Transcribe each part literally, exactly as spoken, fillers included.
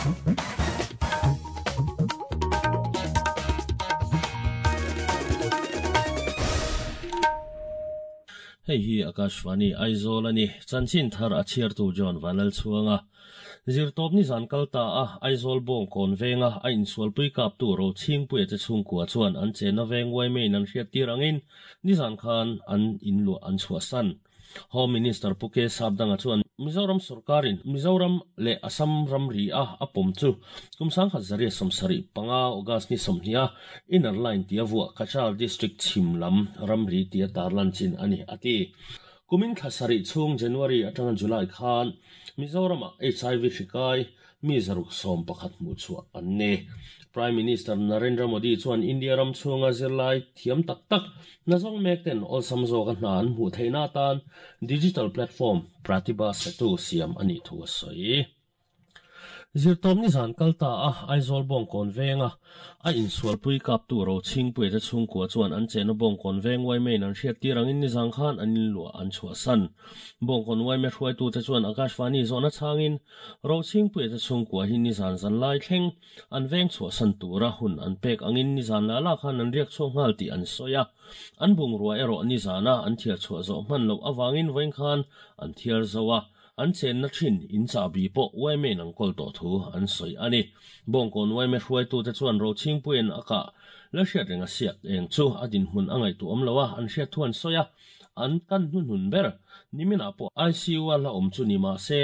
Hei hi Akashvani Aizawl ani chanchin thar a chhiartu John Vanlal chhuanga zirtawp ni zan kalta a Aizawl bawng kawn venga a insualpui kap tu ro chhingpui te chhungkua chuan an chena veng waimein an hriat tir angin ni zan khan an inluah an chhuahsan. Home Minister Puke Sapdanga chuan Mizoram Sarkarin Mizoram le Assam ramri a apom chu kumsang khat zaria somsari panga August ni somhnia inner line tia vua Kachar district chimlam ramri tia tarlan chin ani ati kumin thlasari chung January atanga July khan Mizoram H I V hrikai mi zaruk som pakhat mu chua anne Prime Minister Narendra Modi chuan India ram chunga zirlai thiam tak tak nazong mek ten ol samzo ka hnan mu theina tan digital platform Pratibha Setu siam ani thu soi zirtom ni zan kalta a Aizawl bawng kawn venga a insualpui kap tu ro chhingpui te chhungkua chuan an chena bawng kawn veng waimein an hriat tir angin ni zang khan an inluah an chhuahsan bawng kawn waime hruaitu te chuan Akashvani zawhna chhangin ro chhingpui te chhungkua hi ni zan zan lai thleng an veng chhuahsan tura hun an pek angin ni zan la la khan an riak chhuak nghal tih an sawi a an bungrua erawh ni zana an thiar chhuah zawh hman loh awangin vawiin khan an thiar zo a an chen na thin in chabi po waimein ang kol to thu an soi ani bawngkawn waime hruaitu te chuan ro chhingpuiin aka la hriat renga siak eng chu adin hmun angai tu awm loa an hriat thu an sawi a an kan hnun ber nimina po I C U a la awm chu ni ma se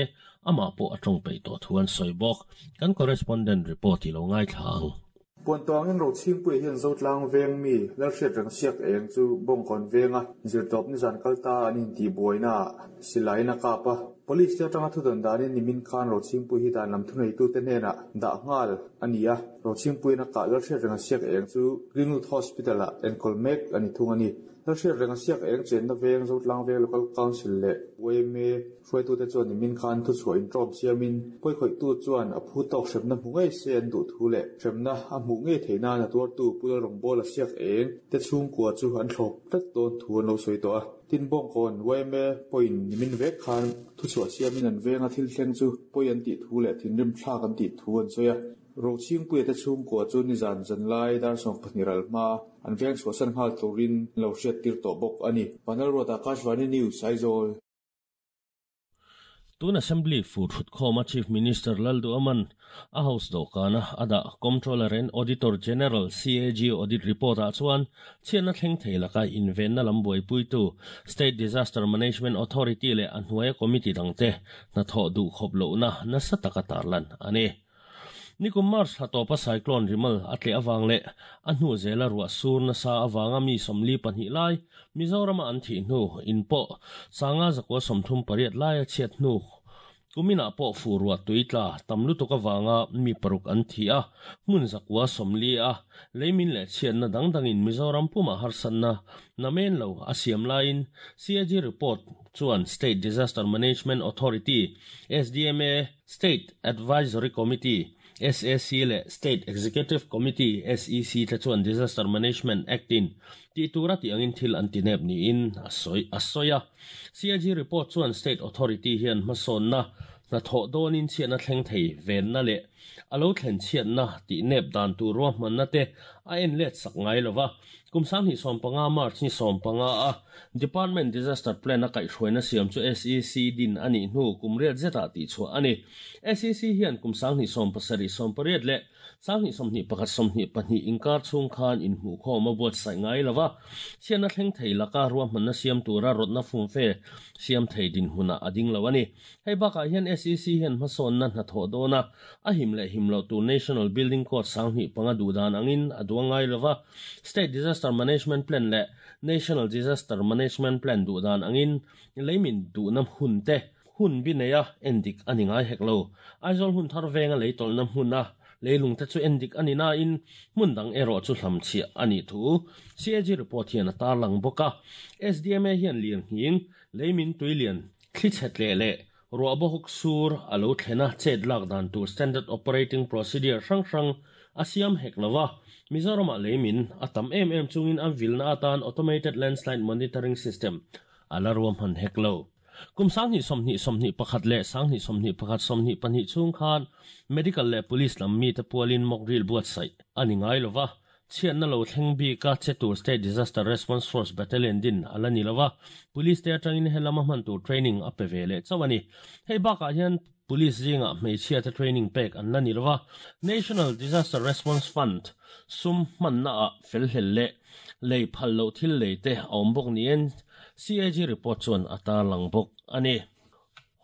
ama po atawng pei to thu an sawi bawk kan correspondent report i lo ngai thlang Puan tuangin ro chhingpui hian zotlang veng mi lal hriat reng siak eng chu bawngkawn venga zirtawp ni zan kalta an inti buaina silaina kapa police te atanga thudan danin nimin khan ro chhingpui hi dan lam thunei tu te hnena dah nghal ani a ro chhingpui na ka lal hriat reng siak eng chu Greenwood Hospital a enkol mek ani thung ani lal hriat reng siak eng chen na veng zotlang veng local council le W M A hruaitu te chuan nimin khan thu chhuah in tawp siamin pawi khawih tu chuan a phu tawk hremna hmu ngei se an duh thu le hremna a hmuh ngei theihna na tuar tu pul rawng a siak eng te chhungkua chu an thlawp tlat dawn thu an lo sawi tawh a tin bawngkawn W M A pawhin nimin vek khan thu chhuah siamin an venga thil thleng chu pawi an tih thu leh thinrim thlak an tih thu an sawi a ro chhingpui te chhungkua chu ni zan zan lai dar sawm pahnih ral hma an veng chhuahsan nghal turin lo hriat tir tawh bawk ani Panel Ruata Akashvani News Aizawl Tun Assembly fu thut khawma Chief Minister Laldu Aman a house dawhkana ada Comptroller and Auditor General C A G audit report a chuan chhiatna thleng thei laka invenna lam buaipuitu State Disaster Management Authority le a hnuaia committee dangte hnathawh duh khawp lohna nasa taka tarlan ani. Nikum March hatopa cyclone Rimal atle awang le a hnu zela ruah sur nasa awanga mi somli pahnih lai Mizorama an thi hnu inpawh sanga zakua sawmthum pariat lai a chhiat hnu kumina pawh fu ruah tuitla tam lutuk awanga mi paruk an thi a hmun zakua sawmli a leimin leh chhiatna dang dangin Mizoram puma harsanna namen lo a siam laiin C A G report chuan State Disaster Management Authority S D M A State Advisory Committee S A C le State Executive Committee S E C te chuan Disaster Management Act in ti tura ti angin thil an tinep ni in a soi a soya C A G report chuan State Authority hian hmasawn na na thaw dawnin chhiatna thleng thei ven na le alo thlen chhiatna ti nep dan tur ruahman na te a en let sak ngai lova kumsang hi sawm panga March ni sawm panga a Department Disaster Plan a kaihhruaina siam chu S E C din ani hnu kumriat zeta ti chhuah ani S E C hian kumsang hi sawm pasarih sawm pariat le sang hi sawmhnih pakhat sawmhnih pahnih inkar chhung khan inhmuh khawm a buatsaih ngai lova chhiatna thleng thei laka ruahmanna siam tura rawtna fumfe siam thei din hmunah a ding lo ani hei bakah hian S E C hian hmasawnna hnathawh dawna a him leh him lo tur National Building Code sanghnih panga duhdan angin a duang ngai lova State Disaster Management Plan le National Disaster Management Plan duhdan angin leimin duhna hun te hun bi neia endik ani ngai hek lo Aizawl hun thar venga leitawlna hmuna leilung te chu endik ani na in hmun dang erawh chu hlam chhiah ani thu C A G report hian a tarlang bawk a S D M A hian lian nghing leimin tuilian thli chhet leh leh ruah bawk sur alo thlena chet lak dan tur standard operating procedure hrang hrang a siam hek lova Mizorama leimin a tam em em chungin an vilna atan automated landslide monitoring system ala ruam han hek lo. Kum sang ni som ni som ni pakhat le sang ni som ni pakhat som ni pahnih chung khan medical le police lam mi te pualin mock drill buat sai ani ngai lova chian na lo thleng bi ka chetur State Disaster Response Force Battalion din alani lova police te atangin helama man tur training a pe vele chawani hei baka hian police zinga hmeichhia te training pek an lani lova National Disaster Response Fund sum man na a fel hel le lei phal lo thil lei te awm bawk nien C A G report chuan ata lang bawk ani.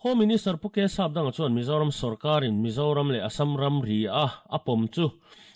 Home Minister Puke Sapdang chuan Mizoram Sarkarin Mizoram le Assam ram ri a apom chu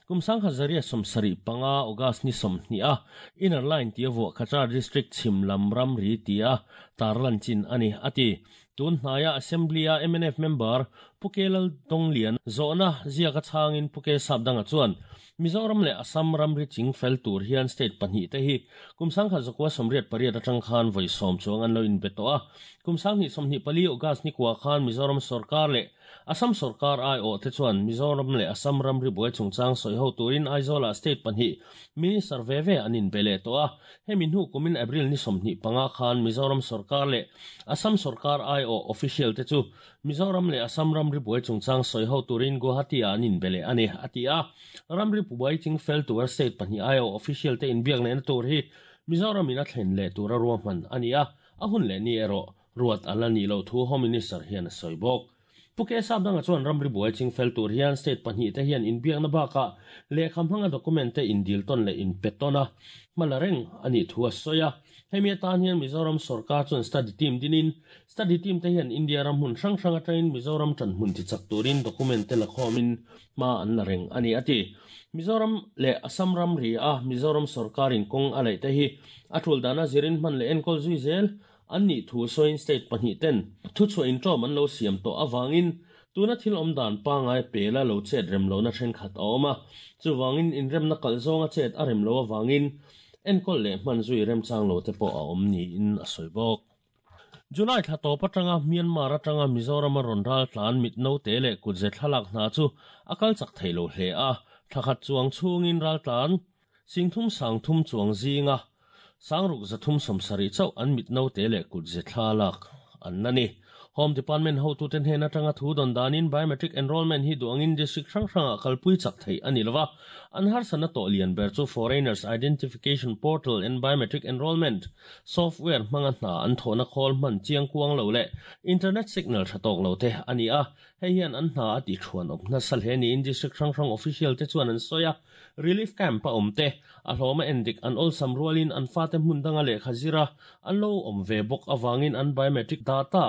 kum sang hazaria somsari panga August ni somni a inner line tia vo Khachar district chimlam ram ri tia tarlan chin ani ati tun hnaya assembly a M N F member Pukelal Donglian zona zia ka changin Puke Sapdang chuan Mizoram le Assam ram ri ching fel tur hian state pahnih te hi kum sang kha zakwa somriat pariat atang khan voi som chuang an lo in beto a kum sang ni somni pali August ni kwa khan Mizoram sarkar le Assam sarkar ai o te chuan Mizoram le Assam ram ri buai chungchang soi ho turin Aizawl state pahnih minister veve anin bele to a hemin hu kumin April ni somni panga khan Mizoram sarkar le Assam sarkar ai o official te chu Mizoram le Assam ram ri buai chungchang soi ho turin Guwahati anin bele ani atia ram ri buai ching fel tur state pahnih ai o official te in biak na tur hi Mizoram in a thlen le tura ruahman ania a hun le ni ero ruat alani lo thu Home Minister hian a soi bawk. Puke Sapdang chuan ramri buai ching fel tur hian state pahnih te hian in biak na baka le khamhanga document te in dil ton le in petona malareng ani thu a soya hemi tan hian Mizoram sarkar chuan study team dinin study team te hian India ram hun hrang hrang atangin Mizoram tan hmun ti chak turin document te la khomin ma an la reng ani ati Mizoram le Assam ram ri a Mizoram sarkarin kong alai te hi athul dana zirin man le enkol zui zel an ni thu soin state pahnih ten thu chu in trom an lo siam to awangin tuna thil om dan pa ngai pela lo chet rem lo na then khat awma chuwangin in rem na kal zonga chet a rem lo awangin enkol le man zui rem chang lo te po a om ni in a soi bawk. July thla to patanga Myanmar atanga Mizoram ron ral tlan mit no te le kutze thlalak hna chu akal chak theilo hle a thakhat chuang chungin ral tlan singthum sangthum chuang zinga sangruk zathum somsari chau an mit no te le kutze thlalak an nani Home Department ho tu ten hena tanga thu don danin biometric enrollment hi duangin district hrang hranga kalpui chak thei ani lova an har sana to lian ber chu foreigners identification portal and biometric enrollment software manga na an thona khol man chiang kuang lo le internet signal thatok lo te ani a hei hian an hna ati thuan op na sal he ni in district hrang hrang official te chuan an soya relief camp pa omte a hloma endik an ol sam rualin an fate hmundanga le khazira an lo om ve bok awangin an biometric data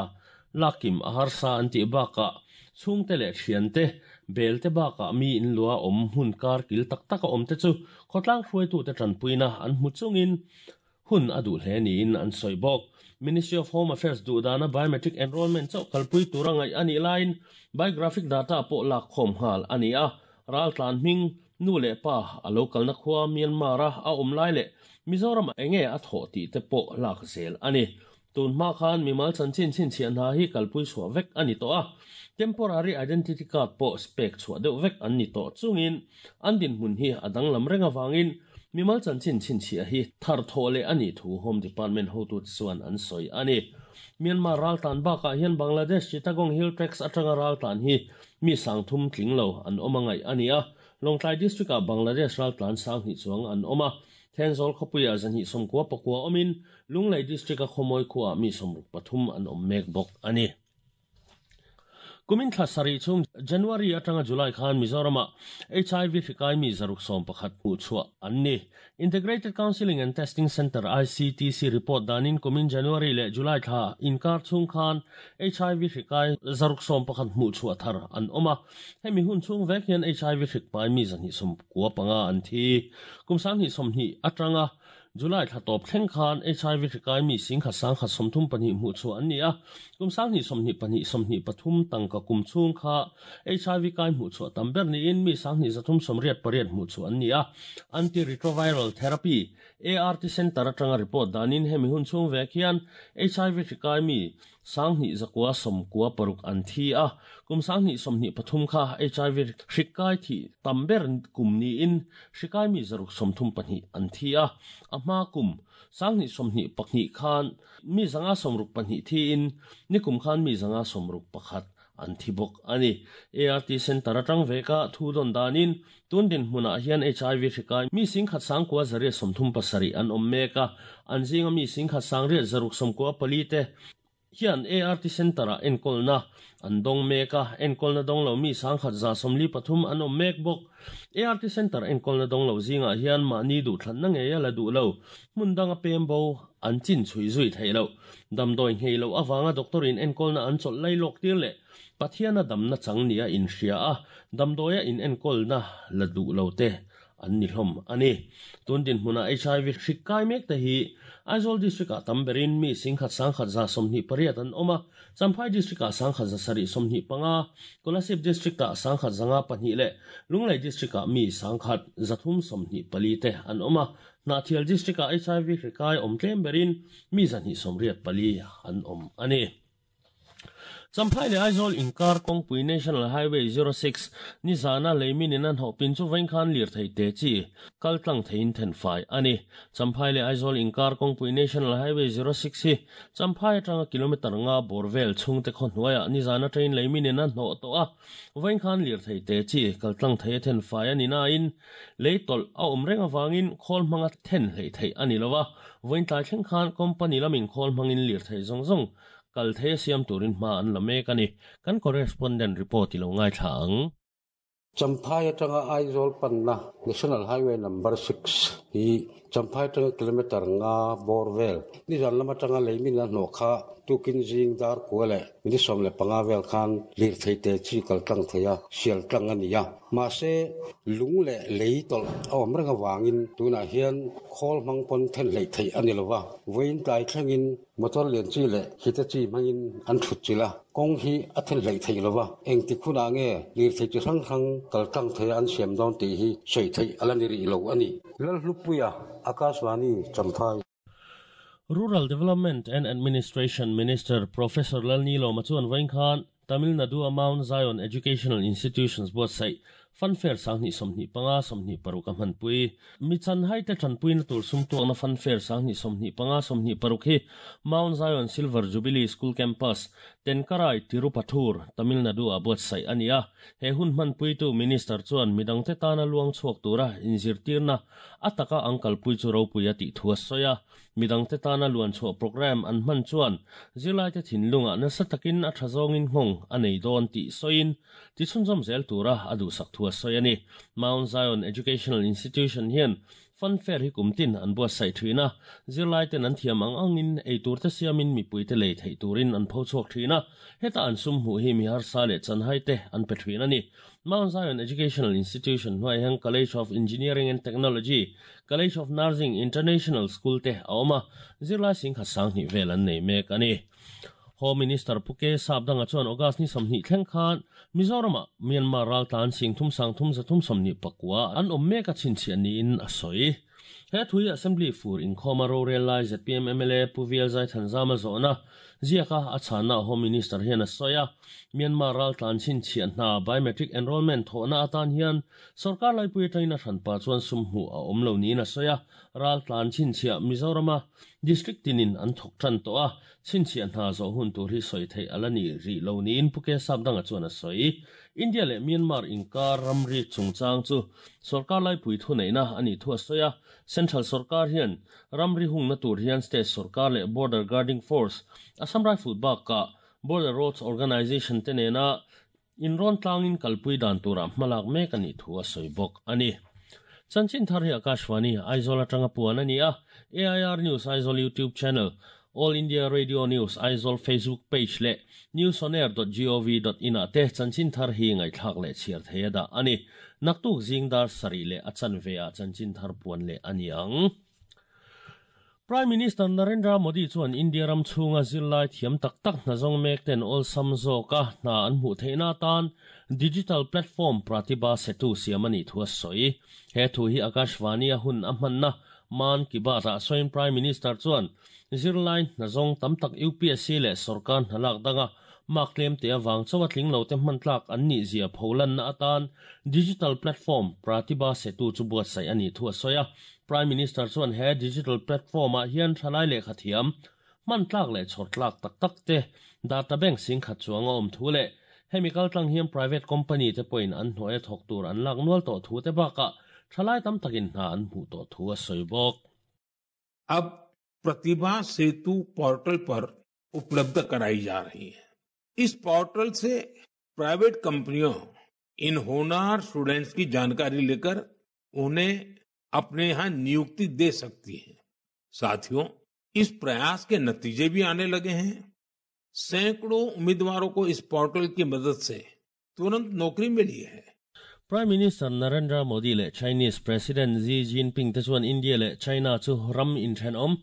lakim ahar sa anti baka chungte le thiante belte baka mi in lua om hun kar kil tak taka om te chu khotlang hruai tu te tanpuina an mu chungin hun adu hle ni in an soi bok Ministry of Home Affairs du dana biometric enrollment chau kalpui turangai ani line biographic data po lak khom hal ani a ral tlan hming nu le pa a local na khwa Myanmar a om lai le Mizoram enge a tho ti te po lak zel ani tun ma khan mimal chan chin chin chian ha hi kalpui chua vek ani to a temporary identity card po spek chua deuh vek an ni to chungin an din hun hi adang lam renga wangin mimal chan chin chin chia hi thar thole ani thu Home Department ho tu chuan an soi ani Myanmar ral tan ba ka hian Bangladesh Chittagong Hill Tracts atanga ral tan hi mi sangthum tlinglo an omangai ani a Longtlai district a Bangladesh ral tlan sang hi chuang an oma Thenzawl khopuia zanhi somkua pakua omin Lunglei district a khomoi khuwa mi somruk pathum an om mek bawk ani. Kumin thla sari chung January atanga July khan Mizorama H I V hrikai mi zaruk som pakhat mu chua anni Integrated Counseling and Testing Center I C T C report danin kumin January le July thla inkar chung khan H I V hrikai zaruk som pakhat mu chua thar an oma hemi hun chung vek hian H I V hrikpai mi zanhi som kuwa panga an thi kum sang hi som hi atanga July thla top thleng khan H I V hrikai mi singkha sangkha somthum pahnih hmuh chu an ni a kum sang ni somhnih pahnih somhnih pathum tangka kum chung kha H I V kai hmuh chu tam ber ni in mi sang ni zathum somriat pariat hmuh chu an ni a antiretroviral therapy A R T center atanga report danin hemi hun chung vek hian H I V hrikai mi sang ni zakwa somkua paruk an thi a kum sang ni somni pathum kha H I V hrikai thi tamber kum ni in hrikai mi zaruk somthum pani an thi a ama kum sang ni somni pakni khan mi zanga somruk pani thi in nikum khan mi zanga somruk pakhat an thibok ani A R T center atang veka thudon danin tundin hmuna hian H I V hrikai mi sing khat sang kwa zare somthum pasari an ommeka anjinga mi sing khat sang re zaruk somkwa palite hian A R T center a enkolna andong meka enkolna dong lo mi sang khat za somli pathum an ommek bok A R T center enkolna dong lo zinga hian ma ni du thlan na nge ya la du lo mundanga pembo an chin chui zui thailo damdoi ngei lo awanga doctor in enkolna an chol lai lok tir le pathiana damna changnia in hria a damdoya in enkolna la du lo te an ni hlom ani tundin hmuna H I V hrikai mek te hi Aizawl district a tamberin mi singkhat sangkhat za somni pariat an oma Champhai district a sangkhat za sari somni panga Kolasib district a sangkhat zanga pahnih le Lunglei district a mi sangkhat zathum somni pali te an oma Nathial district a H I V hrikai om tlem berin mi zani somriat pali an om ani Champhai le Aizawl inkar kawngpui National Highway zero six ni zana leimin in an hopin chu vain khan lir thei te chi kaltlang thein then fai ani Champhai le Aizawl inkar kawngpui National Highway zero six hi Champhai atanga kilometer nga borvel chhungte khaw hnuaiah ni zana train leimin in an hnawh tawh a vain khan lir thei te chi kaltlang thei then fai ani na in leitawlh a awm reng awangin khawl hmanga then hlei thei ani lova vain tlai thleng khan company lamin khawl hmangin lir thei zawng zawng kal the siam turin ma an lame kani kan correspondent report ilo ngai thang Champhai atanga Aizawl panna National Highway number six hi Champhai atanga kilometer nga borvel ni zan lama tanga leimin na nokha tukin jing dar kuale ni som le panga vel khan lir thei te chi kal tlang theia sial tlang ania ma se lung le leitol awm ranga wangin tuna hian khol mang pon then lei thei ani lova vein tai thlengin motor lian chi le hita chi mangin an thut chila kong hi a then lei thei lova eng ti khuna nge lir thei chi hrang hrang kal tlang theia an siam dawn ti hi sei thei alani ri lo ani lal hlupuia Akashvani Champhai. Rural Development and Administration Minister Professor Lalnilo Machuan Vaingkhan Tamil Nadu Mount Zion Educational Institutions buat sai funfair sangni somni panga somni paruk a hmanpui mi chan hai te thanpui na tur sum tuak na funfair sangni somni panga somni paruk hi Mount Zion Silver Jubilee School Campus Tenkarai Tirupathur Tamil Nadu a buat sai ania he hun hmanpui tu minister chuan midang te tana luang chuak tura inzir tirna ataka angkal pui chu ropui ati thua soya midang te tana luan chuak program an hman chuan zilai te thinlunga nasa takin a thazongin hong anei don ti soin ti chhunzawm zel tura adu sak thua soyani Mount Zion Educational Institution hian funfair hi kumtin an bua sai thina zirlai ten an thiam ang angin eitur te siamin mipui te lei thei turin an pho chhuak thina heta an sum hu hi mi har sa le chan hai te an pe thina ni Mount Zion Educational Institution hnuai hian College of Engineering and Technology College of Nursing International School te a awm a zirlai sing khat sang hnih vel an nei mek ani Home Minister Puke Sabdanga chuan August ni samhni thleng khan Mizorama Myanmar ral tan sing thum sang thum za thum samni pakwa an awm mek a chhinchhiah niin a sawi he thui assembly fur inkhawma rorel lai Z P M M L A Pu V L Zai Thanzama zawhna ziaka a chhana Home Minister hian a sawi a Myanmar ral tlan chhinchhiah hna biometric enrollment thawhna atan hian sarkar laipui atangin a hranpa chuan sum hmuh a awm lo niin a sawi a ral tlan chhinchhiah Mizorama district tinin an thawk tan tawh a chhinchhiah hna zawh hun tur hi sawi thei ala ni ri lo niin Puke Sabdanga chuan a sawi India le Myanmar inkar ramri chungchang chu sarkar laipui thu neina ani thu a sawi a Central sarkar hian ramri hungna tur hian state sarkar le Border Guarding Force Assam Rifle bak ka Border Roads Organization te nena inrawn tlangin kalpui dan tura hmalak mek ani thu a sawi bawk ani Chanchin thar hi Akashvani Aizawl atanga puan ani a A I R News Aizawl YouTube channel All India Radio News Aizawl Facebook page le newsonair dot gov dot in a te chanchin thar hi ngai thlak le chiar theia da ani naktuk zingdar sari le achan ve a chanchin thar puan le ani ang Prime Minister Narendra Modi chuan India ram chhunga zirlai thiam tak tak hna zawng mek ten awlsam zawka hna an hmuh theihna tan digital platform Pratibha Setu siam ani thu a sawi he thu hi Akashvani a hun a hmanna Man Ki Baat a soin Prime Minister chuan zirlai nazong tamtak U P S C le sarkar halak danga mak tlem te awang chawa tling lo te hman tlak an ni zia pholan na atan digital platform Pratibha Setu chu buat sai ani thu a soya Prime Minister chuan he digital platform a hian thalai le khathiam man tlak le chhor tlak tak tak te data bank sing khat chuanga om thu le chemical tlang hian private company te point an hnuai thok tur an lak nual to thu te baka thalai tam takin hna an hmu to thu a soibok. अब प्रतिभा सेतु portal पर उपलब्ध कराई जा रही है। इस पोर्टल से प्राइवेट कंपनियों इन होनहार स्टूडेंट्स की जानकारी लेकर उन्हें अपने यहाँ नियुक्ति दे सकती है। साथियों, इस प्रयास के नतीजे भी आने लगे हैं। सैकड़ों उम्मीदवारों को इस पोर्टल की मदद से तुरंत नौकरी मिली है। Prime Minister Narendra Modi le Chinese President Xi Jinping te chuan India le China chu ram in then om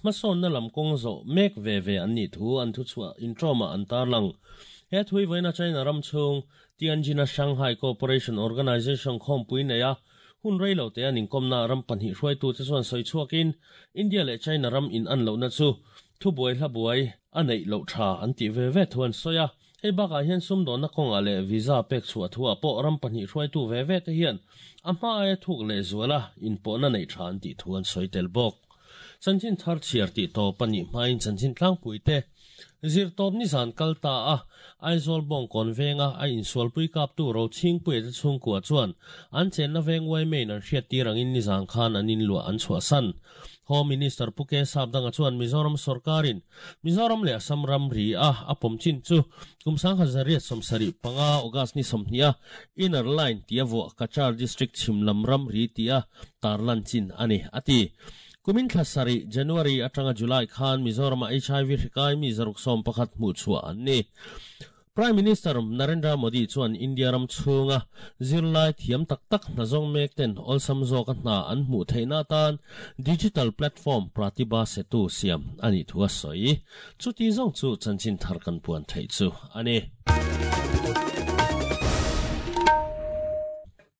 mason na lam kong zo mek ve ve an ni thu an thu chua in trauma an tar lang he thui voina China ram chung Tianjin Shanghai Cooperation Organization khom pui ne ya hun rei lo te an in komna ram panhi hruai tu te chuan soi chuakin India le China ram in an lo na chu thu buai hla buai anei lo tha an ti ve ve thuan soya hei baka hian sum do na konga le visa pek chua thua po ram pahnih hruai tu ve ve te hian a hma ai thuk le zuala in po na nei than ti thuan soitel bok chanchin thar chiar ti to pani hmain chanchin tlang pui te zir top ni zan kalta a Aizawl bong kon venga a insual pui kap tu ro ching pui te chung kwa chuan an chen na veng wai mein an hriat ti rangin ni zang khan an in lua an chua san Home Minister Puke Sabdanga chuan Mizoram sarkarin Mizoram le Assam ram ri a apom chin chu kumsang hazariat somsari panga August ni somhnia inner line tia vo Kachar district chimlam ram ri tia tarlan chin ani ati kumin thlasari January atanga July khan Mizoram H I V hrikai mi zaruk som pakhat mu chua ani Prime Minister Narendra Modi chuan India ram chunga zirlai thiam tak tak nazong mek ten olsam zo ka hna an hmu theina tan digital platform Pratibha Setu siam ani thua soi chuti zong chu chanchin thar kan puan thei chu ani.